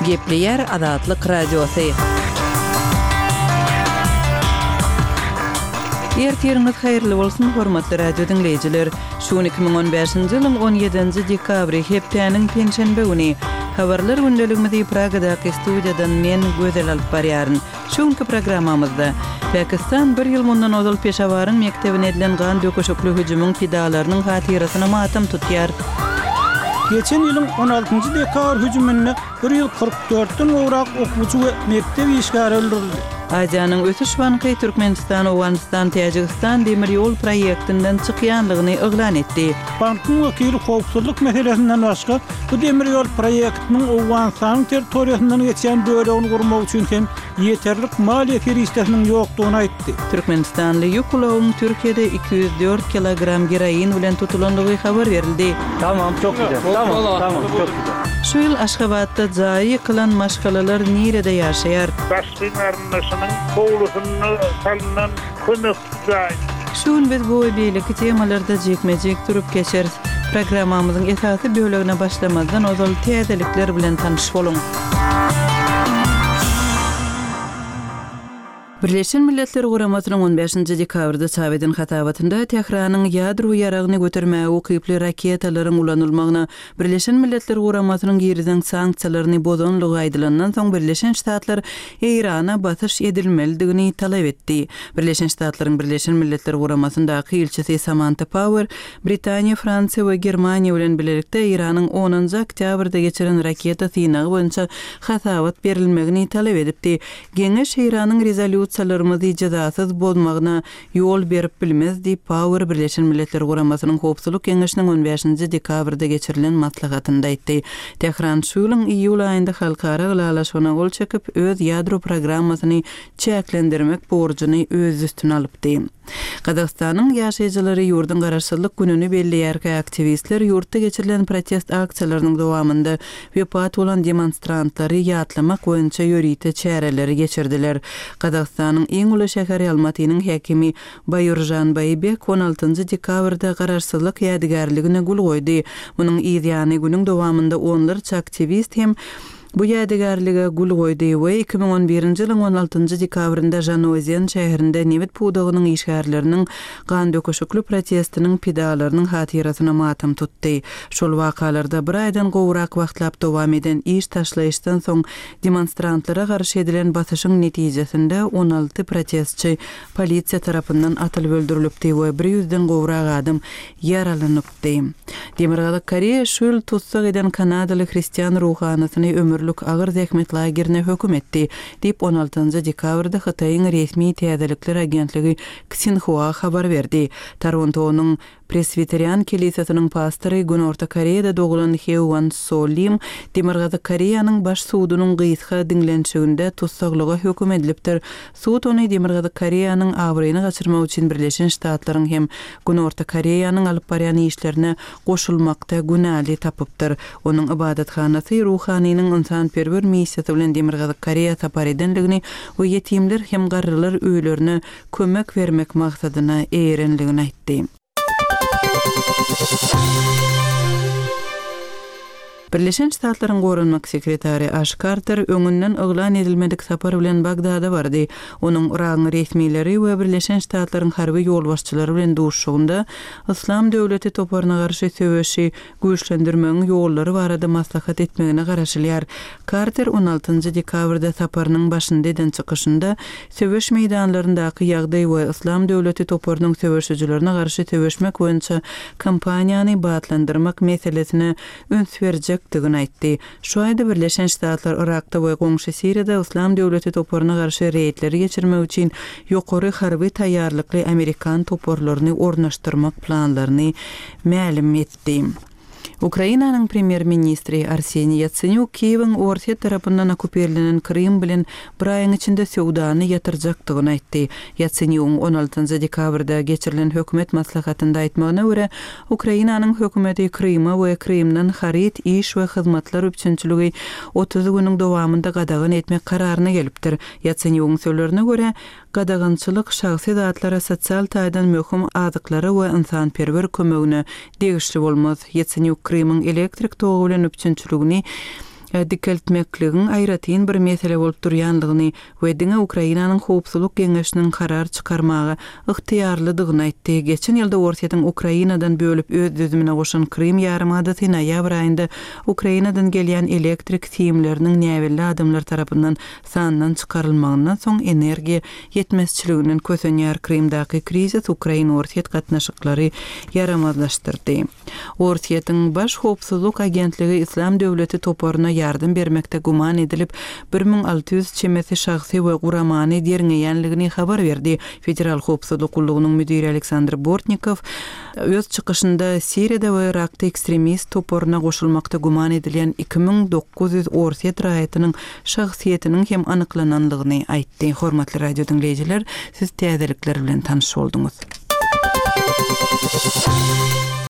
Gepleýär Azatlyk Radiosy. Ertiriňiz haýyrly bolsun, hormatly radio diňleýjiler! Şu gün 2015-nji ýylyň 17-nji dekabry, hepdäniň penşenbe güni. Habarlar gündeligimizi Pragadaky studiýadan men, Gözel alyp barýaryn. Şu günki programmamyzda, Pakistan bir ýyl mundan ozal Peşawaryň mekdebine edilen gan döküşikli hüjümiň pidalarynyň hatyrasyna matam tutýar. Geçen ýylyň on altynjy dekabr hüjüminde 144 den gowrak okuwçy we mekdep işgäri öldürildi. Aziýanyň ösüş banky Türkmenistan, Owganystan, Täjigistan demir ýol proýektinden çykýanlygyny yglan etdi. Bankyň wekili howpsuzlyk meselesinden başga, bu demir ýol proýektiniň Owganystanyň territoriýasyndan geçýän bölegini gurmak üçin hem ýeterlik maliýe serişdesiniň ýokdugyny aýtdy. Türkmenistanly ýük ulagyň Türkiýede 204 kilogram geroin bilen tutulandygy habar berildi. Tamam çok güzel. Tamam tamam çok güzel. Şu ýyl Aşgabatda jaýy ýykylan maşgalalar nirede ýaşaýar? Daşgyn garyndaşynyň howlusynda salnan kömekçi jaý. Şu gün biz bu we beýleki temalarda jikme-jik durup geçeris. Programmamyzyň esasy bölegine başlamazdan ozal täzelikler bilen tanyş boluň. Birleşen Milletler Guramasynyň on bäşinji dekabrda çap eden hasabatynda Tähranyň ýadro ýaragyny götermäge ukyply raketalaryň ulanylmagyna Birleşen Milletler Guramasynyň girizen sanksiýalaryny bozanlygy aýdylandan soň Birleşen Ştatlar Eýrana basyş edilmelidigini talap etdi. Birleşen Ştatlaryň Birleşen Milletler Guramasyndaky ilçisi Samanta Pauer Britaniýa, Fransiýa we Germaniýa bilen bilelikde Eýranyň onunjy oktýabrda geçiren raketa synagy boýunça hasabat berilmegini talap edipdi. Geňeş Eýranyň rezolýusiýalarymyzy jezasyz bozmagyna ýol berip bilmez diýip, Pauer Birleşen Milletler Guramasynyň Howpsuzlyk Geňeşiniň on bäşinji dekabrda geçirilen maslahatynda aýtdy. Tähran şu ýylyň iýul aýynda halkara ylalaşygyna gol çekip, öz ýadro programmasyny çäklendirmek borjuny öz üstüne alypdy. Gazagystanyň ýaşaýjylary ýurduň Garaşsyzlyk gününi belleýärkä, aktiwistler ýurtda geçirilen protest aksiýalarynyň dowamynda wepat bolan demonstrantlary ýatlamak boýunça ýörite çäreleri geçirdiler. Gazagystanyň iň uly şäheri Almatynyň häkimi Baýuržan Baýbek on altynjy dekabrda Garaşsyzlyk ýadygärligine gül goýdy. Munuň yz ýany günüň dowamynda onlarça aktiwist hem Bu ýadygärlige gül goýdy we 2011-nji ýylyň on altynjy dekabrynda Žanaozen şäherinde nebit pudagynyň işgärleriniň gandöküşikli protestiniň pidalarynyň hatyrasyna matam tutdy. Şol wakalarda bir aýdan gowrak wagtlap dowam eden iş taşlaýyşdan soň demonstrantlara garşy edilen basyşyň netijesinde 16 protestçi polisiýa tarapyndan atylyp öldürilipdi we bir ýüzden gowrak adam ýaralanypdy. Çykdy. Demirgazyk Koreýa şu ýyl tussag eden kanadaly hristian ruhanysyny ömürlik agyr zähmet lagerine höküm etdi, diýip, on altynjy dekabrda Hytaýyň resmi täzelikler agentligi Ksinhua habar berdi. Torontonyň Preswiterian kelisesiniň pastory Günorta Koreýada doglan Heuan So Lim Demirgazyk Koreýanyň Baş sudunyň gysga diňlenişiginde tussaglyga höküm edilipdir. Sud ony Demirgazyk Koreýanyň abraýyny gaçyrmak üçin Birleşen Ştatlaryň hem Günorta Koreýanyň alyp barýan işlerine goşulmakda günäli tapypdyr. Onuň ybadathanasy ruhanynyň ynsanperwer missiýasy bilen Demirgazyk Koreýa sapar edendigini we ýetimler hem garrylar öýlerine kömek bermek maksadyna eýerenligini aýtdy. Birleşen Ştatlaryň Goranmak sekretary Aş Karter öňünden yglan edilmedik sapar bilen Bagdada bardy. Onuň Yragyň resmileri we Birleşen Ştatlaryň harby ýolbaşçylary bilen duşuşygynda Yslam döwleti toparyna garşy söweşi güýçlendirmegiň ýollary barada maslahat etmegine garaşylýar. Karter on altynjy dekabrda saparynyň başynda eden çykyşynda söweş meýdanlaryndaky ýagdaý we Yslam döwleti toparynyň söweşijilerine garşy söweşmek boýunça kampaniýany batlandyrmak meselesine üns berjekdigini aýtdy. Şu aýda Birleşen Ştatlar Yrakda we goňşy Siriýada Yslam döwleti toparyna garşy reýdleri geçirmek üçin ýokary harby taýýarlykly amerikan toparlaryny ornaşdyrmak planlaryny mälim etdi. Ukrainanyň premýer-ministri Arseniý Ýatsenýuk Kiýewiň Orsýet tarapyndan okkupirlenen Krym bilen bir aýyň içinde söwdany ýatyrjakdygyny aýtdy. Ýatsenýugyň on altynjy dekabrda geçirilen hökümet maslahatynda aýtmagyna görä, Ukrainanyň hökümeti Kryma we Krymdan haryt, iş we hyzmatlar üpjünçiligi 30 günüň dowamynda gadagan etmek kararyna gelipdir. Ýatsenýugyň sözlerine görä, gadagançylyk şahsy zatlara, sosial taýdan möhüm azyklara we ynsanperwer kömegine degişli bolmaz. Ýatsenýuk Krymyň elektrik togy bilen üpjünçiligini. dikeltmekligiň aýratyn bir mesele bolup durýandygyny we diňe Ukrainanyň Howpsuzlyk Geňeşiniň karar çykarmaga ygtyýarlydygyny aýtdy. Geçen ýylda Orsýetiň Ukrainadan bölüp öz düzümine goşan Krym ýarymadasy noýabr aýynda Ukrainadan gelýän elektrik simleriniň näbelli adamlar tarapyndan sandan çykarylmagyndan soň energiýa ýetmezçiliginden kösenýär. Krymdaky krizis ukrain-orsýet gatnaşyklary ýaramazlaşdyrdy. Orsýetiň Baş howpsuzlyk agentligi Yslam döwleti toparyna ýardam bermekde güman edilip, 1600 çemesi şahsy we guramany derňeýänligini habar berdi. Federal howpsuzlyk gullugynyň müdiri Aleksandr Bortnikow öz çykyşynda Siriýada we Yrakda ekstremist toparyna goşulmakda güman edilýän 2900 orsýet raýatynyň şahsyýetiniň hem anyklananlygyny aýtdy. Hormatly radio diňleýjiler, siz täzelikler bilen tanyş bolduňyz.